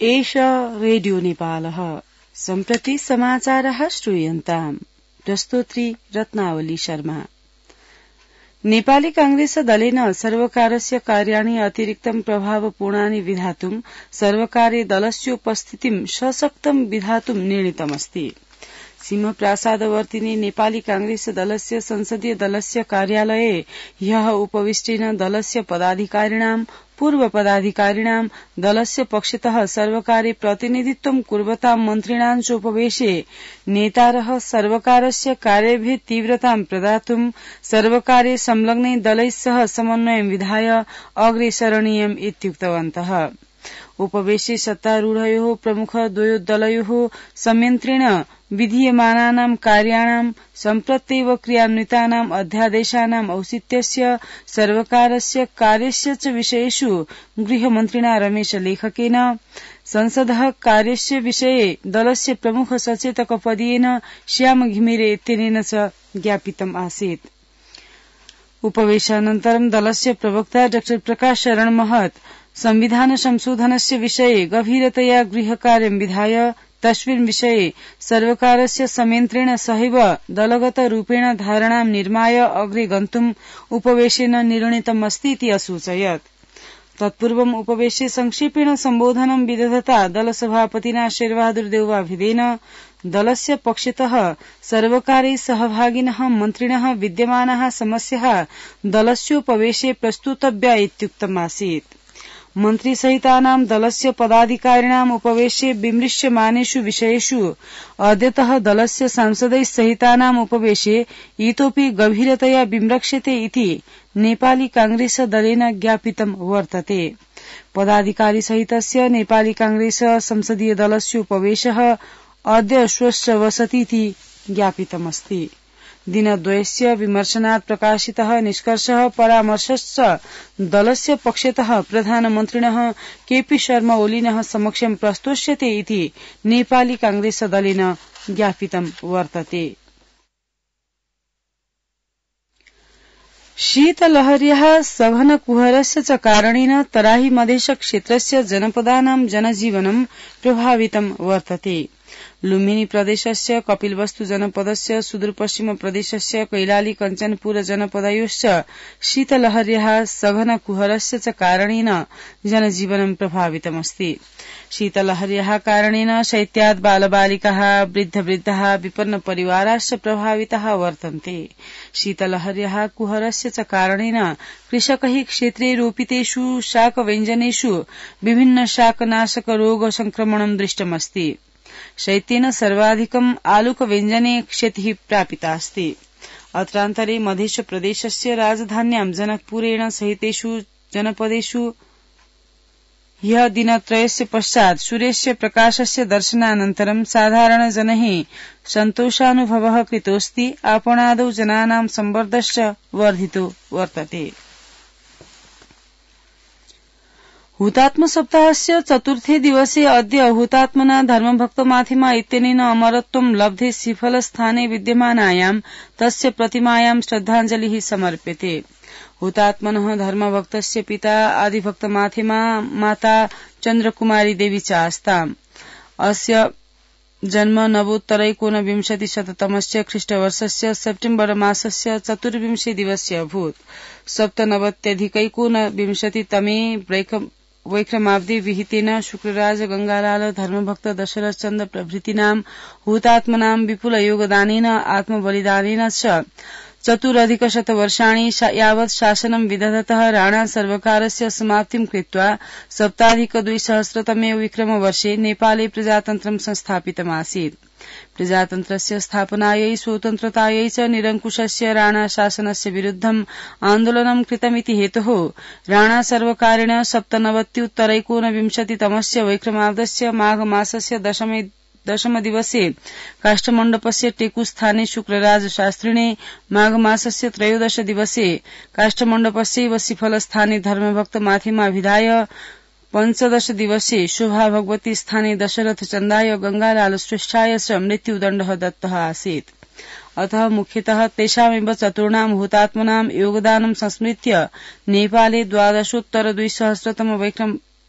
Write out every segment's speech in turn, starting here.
एष रेडियो नेपालः सम्प्रति समाचारः श्रूयन्ताम्। प्रस्तोत्री रत्नावली शर्मा। नेपाली कांग्रेस दलेन सर्वकारस्य कार्याणि अतिरिक्तं प्रभावपूर्णानि विधातुं सर्वकारे दलस्योपस्थितिं सशक्तं विधातुं निर्णीतमस्ति। सिंहप्रासादवर्तिनि नेपाली कांग्रेस दलस्य संसदीय दलस्य कार्यालये ह्यः उपविष्टेन दलस्य पदाधिकारिणां पूर्व पदाधिकारिणां दलस्य पक्षतः सर्वकारे प्रतिनिधित्वं कुर्वतां मन्त्रिणां चोपवेशे नेतारः सर्वकारस्य कार्येभ्यः तीव्रतां प्रदातुं सर्वकारे संलग्नै दलैः सह समन्वयं विधाय अग्रेसरणीयम् इत्युक्तवन्तः। उपवेशे सत्तारूढयोः प्रमुखद्वयोः दलयोः संयन्त्रेण विधीयमानानां कार्याणां सम्प्रत्येव क्रियान्वितानाम् अध्यादेशानाम् औचित्यस्य सर्वकारस्य कार्यस्य च विषयेषु गृहमन्त्रिणा रमेशलेखकेन संसदः कार्यस्य विषये दलस्य प्रमुख सचेतकपदीयेन श्याम घिमिरे इत्यनेन च ज्ञापितम् आसीत्। उपवेशानन्तरं दलस्य प्रवक्ता डॉ प्रकाश शरण महत संविधान संशोधनस्य विषये गभीरतया गृहकार्यं विधाय तस्मिन् विषये सर्वकारस्य संयन्त्रेण सहैव दलगत रूपेण धारणां निर्माय अग्रे गन्तुम् उपवेशेन निर्णीतमस्ति इति असूचयत्। तत्पूर्वम् उपवेशे संक्षेपेण सम्बोधनं विदधता दलसभापतिना शेरबहादुर देउवाभिदेन दलस्य पक्षतः सर्वकारे सहभागिनः मन्त्रिणः विद्यमानाः समस्याः दलस्योपवेशे प्रस्तुतव्या इत्युक्तमासीत्। मन्त्रिसहितानां दलस्य पदाधिकारिणाम् उपवेशे विमृश्यमानेषु विषयेषु अद्यतः दलस्य सांसदैः सहितानाम् उपवेशे इतोपि गभीरतया विमृश्यते इति नेपाली कांग्रेस दलेन ज्ञापितं वर्तते। पदाधिकारिसहितस्य नेपाली कांग्रेस संसदीय दलस्य उपवेशः अद्य श्वश्रवसतीति ज्ञापितमस्ति। दिनद्वयस्य विमर्शनात् प्रकाशितः निष्कर्षः परामर्शश्च दलस्य पक्षतः प्रधानमन्त्रिणः केपी शर्मा ओलीनः समक्षं प्रस्तोष्यते इति नेपाली कांग्रेस दलेन ज्ञापितं वर्तते। शीतलहर्याः सघनकुहरस्य च कारणेन तराही मधेश क्षेत्रस्य जनपदानां जनजीवनं प्रभावितं वर्तते। लुम्बिनी प्रदेशस्य कपिलवस्तु जनपदस्य सुदूरपश्चिम प्रदेशस्य कैलाली कञ्चनपुर जनपदयोश्च शीतलहर्याः सघनकुहरस्य च कारणेन जनजीवनं प्रभावितमस्ति। शीतलहर्याः कारणेन शैत्यात् बालबालिकाः वृद्धवृद्धाः विपन्न परिवाराश्च प्रभाविताः वर्तन्ते। शीतलहर्याः कुहरस्य च कारणेन कृषकैः क्षेत्रे रोपितेषु शाकव्यञ्जनेषु विभिन्न शाकनाशक रोग संक्रमणं दृष्टमस्ति। शैत्येन सर्वाधिकम् आलुकव्यञ्जने क्षतिः प्रापितास्ति। अत्रान्तरे मध्यप्रदेशस्य राजधान्यां जनकपुरेण सहितेषु जनपदेषु ह्यः दिनत्रयस्य पश्चात् सूर्यस्य प्रकाशस्य दर्शनानन्तरं साधारणजनैः सन्तोषानुभवः कृतोऽस्ति। आपणादौ जनानां संवर्धश्च वर्धितो वर्तते। हुतात्म सप्ताहस्य चतुर्थे दिवसे अद्य हुतात्मना धर्मभक्तमाथिमा इत्यनेन अमरत्वं लब्धे सिफलस्थाने विद्यमानायां तस्य प्रतिमायां श्रद्धाञ्जलिः समर्प्यते। हुतात्मनः धर्मभक्तस्य पिता आदिभक्तमाथिमा माता चन्द्रकुमारी देवी च आस्ताम्। अस्य जन्म नवोत्तरैकोनविंशतिशततमस्य ख्रीष्टवर्षस्य सेप्टेम्बर मासस्य 24 दिवस्य अभूत्। 97+एकोनविंशतितमे वैक्रमाब्दे विहितेन शुक्रराज गंगालाल धर्मभक्त दशरथ चन्द्र प्रभृतीनां हुतात्मनां विपुल योगदानेन आत्मबलिदानेन च 4+100 यावत् शासनं विदधतः राणा सर्वकारस्य समाप्तिं कृत्वा 7+200तमे विक्रमवर्षे नेपाले प्रजातन्त्रं संस्थापितमासीत्। प्रजातन्त्रस्य स्थापनायै स्वतन्त्रतायै च निरङ्कुशस्य राणा शासनस्य विरुद्धम् आन्दोलनं कृतमिति हेतोः राणा सर्वकारेण 97+एकोनविंशतितमस्य वैक्रमाब्दस्य माघ मासस्य दशमदिवसे काष्ठमण्डपस्य टेकुस्थाने शुक्रराज शास्त्रिणे माघ मासस्य 13 दिवसे काष्ठमण्डपस्यैव सिफलस्थाने धर्मभक्त माथिमा विधाय 15 दिवसे शोभा भगवती स्थाने दशरथ चन्दाय गंगालाल श्रेष्ठाय च मृत्युदण्डः दत्तः आसीत्। अतः मुख्यतः तेषामेव चतुर्णां हुतात्मनां योगदानं संस्मृत्य नेपाले 12+200तम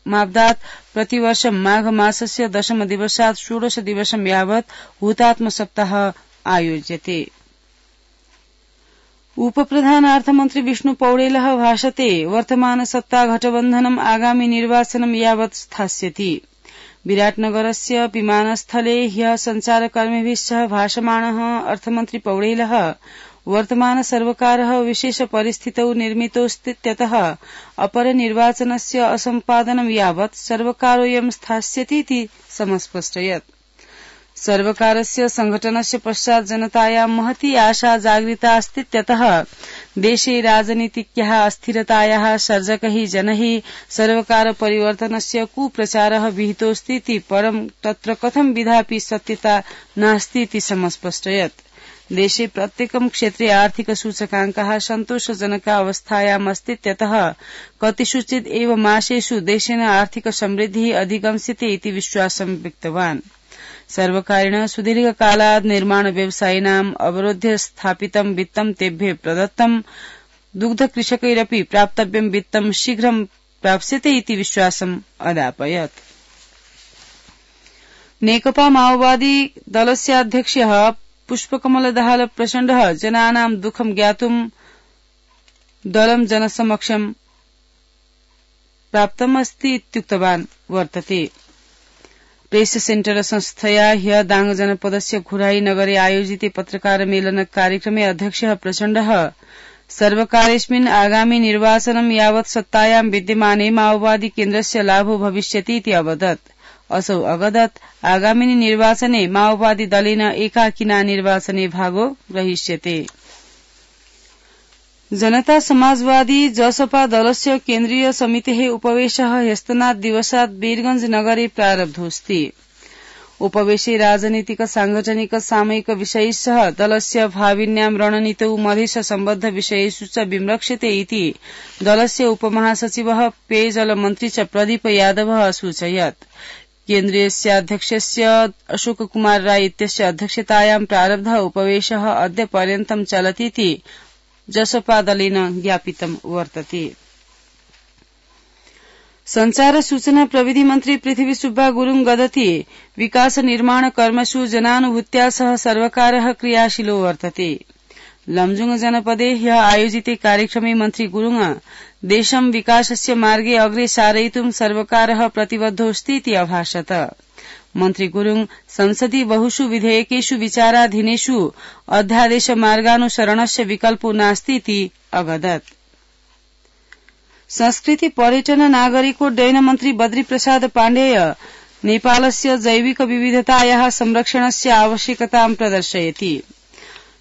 मापदात् प्रतिवर्ष माघ मासस्य दशम दिवसात् 16 दिवसं यावत् हुतात्म सप्ताह आयोज्यते। उपप्रधानार्थमन्त्री विष्णु पौडेलः भाषते वर्तमान सत्ता गठबन्धनम् आगामि निर्वाचनं यावत् स्थास्यति। विराटनगरस्य विमानस्थले ह्यः सञ्चारकर्मिभिः सह भाषमाणः अर्थमन्त्री पौडेलः वर्तमान सर्वकारः विशेष परिस्थितौ निर्मितोऽस्तीत्यतः अपरनिर्वाचनस्य असम्पादनं यावत् सर्वकारोऽयं स्थास्यतीति समस्पष्टयत्। सर्वकारस्य संघटनस्य पश्चात् जनतायां महती आशा जागृता अस्तीत्यतः देशे राजनीतिक्याः अस्थिरतायाः सर्जकैः जनैः सर्वकार परिवर्तनस्य कुप्रचारः विहितोऽस्तीति परं तत्र कथं विधापि सत्यता नास्तीति समस्पष्टयत्। देशे प्रत्येकं क्षेत्रे आर्थिक सूचकाङ्कः सन्तोषजनक अवस्थायाम् अस्तीत्यतः कतिषुचित् एव मासेषु देशेन आर्थिक समृद्धिः अधिगम्स्यते इति विश्वासं व्यक्तवान्। सर्वकारेण सुदीर्घकालात् निर्माण व्यवसायिनाम् अवरोध्य स्थापितं वित्तं तेभ्यः प्रदत्तं, दुग्धकृषकैरपि प्राप्तव्यं वित्तं शीघ्रं प्राप्स्यते इति विश्वासम् अदापयत्। नेकपा माओवादी दलस्य अध्यक्षः पुष्पकमलदाहाल प्रचण्डः जनानां दुःखं ज्ञातुं दलं जनसमक्षं प्राप्तमस्ति इत्युक्तवान् वर्तते। प्रेस सेन्टर संस्थया ह्यः दाङ जनपदस्य खुराई नगरे आयोजिते पत्रकारमेलन कार्यक्रमे अध्यक्षः प्रचण्डः सर्वकारेऽस्मिन् आगामि निर्वाचनं यावत् सत्तायां विद्यमाने माओवादी केन्द्रस्य लाभो भविष्यति अवदत्। असौ अगदत् आगामिनि निर्वाचने माओवादी दलेन एकाकिना निर्वाचने भागो ग्रहीष्यते। जनता समाजवादी जसपा दलस्य केन्द्रीय समितेः उपवेशः ह्यस्तनात् दिवसात् वीरगंज नगरे प्रारब्धोऽस्ति। उपवेशे राजनीतिक सांगठनिक सामयिक विषयैस्सह दलस्य भाविन्यां रणनीतौ मधेश सम्बद्ध विषयेषु च विमृक्ष्यते इति दलस्य उपमहासचिवः पेयजल मन्त्री च प्रदीप यादवः असूचयत्। केन्द्रीयस्याध्यक्षस्य अशोक कुमार राय इत्यस्य अध्यक्षतायां प्रारब्धः उपवेशः अद्य पर्यन्तं चलतीति जसपा दलेन ज्ञापितं वर्तते। संचार सूचना प्रविधि मन्त्री पृथ्वी सुब्बा गुरुङ गदति विकास निर्माण कर्मसु जनानुभूत्या सह सर्वकारः क्रियाशीलो वर्तते। लमजुङ जनपदे ह्यः आयोजिते कार्यक्रमे मन्त्री गुरुङ देशं विकासस्य मार्गे अग्रे सारयितुं सर्वकारः प्रतिबद्धोऽस्तीति अभाषत। मन्त्री गुरुङ संसदि बहुषु विधेयकेषु विचाराधीनेषु अध्यादेश मार्गानुसरणस्य विकल्पो नास्तीति अगदत्। संस्कृति पर्यटन नागरिकोड्डयन मन्त्री बद्री प्रसाद पाण्डेय नेपालस्य जैविक विविधतायाः संरक्षणस्य आवश्यकतां प्रदर्शयति।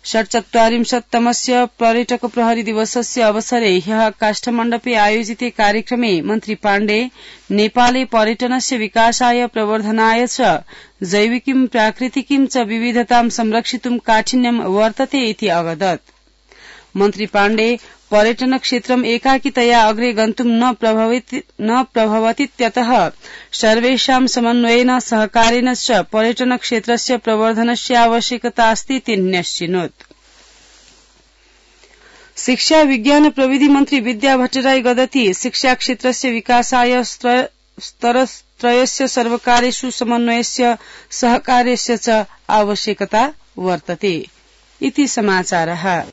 47तमस्य पर्यटक प्रहरी दिवसस्य अवसरे ह्यः काष्ठमण्डपे आयोजिते कार्यक्रमे मन्त्री पाण्डे नेपाले पर्यटनस्य विकासाय प्रवर्धनाय च जैविकीं प्राकृतिकीं च विविधतां संरक्षितुं काठिन्यं वर्तते इति अवदत्। मन्त्री पाण्डे पर्यटन क्षेत्रम् एकाकितया अग्रे गन्तुं न प्रभवतीत्यतः सर्वेषां समन्वयेन सहकारेण च पर्यटन क्षेत्रस्य प्रवर्धनस्य आवश्यकता अस्ति न्यश्चिनोत्। शिक्षा विज्ञान प्रविधि मन्त्री विद्या भट्टराई गदति शिक्षा क्षेत्रस्य विकासाय स्तरत्रयस्य सर्वकारेषु समन्वयस्य सहकार्यस्य च आवश्यकता वर्तते इति समाचारः।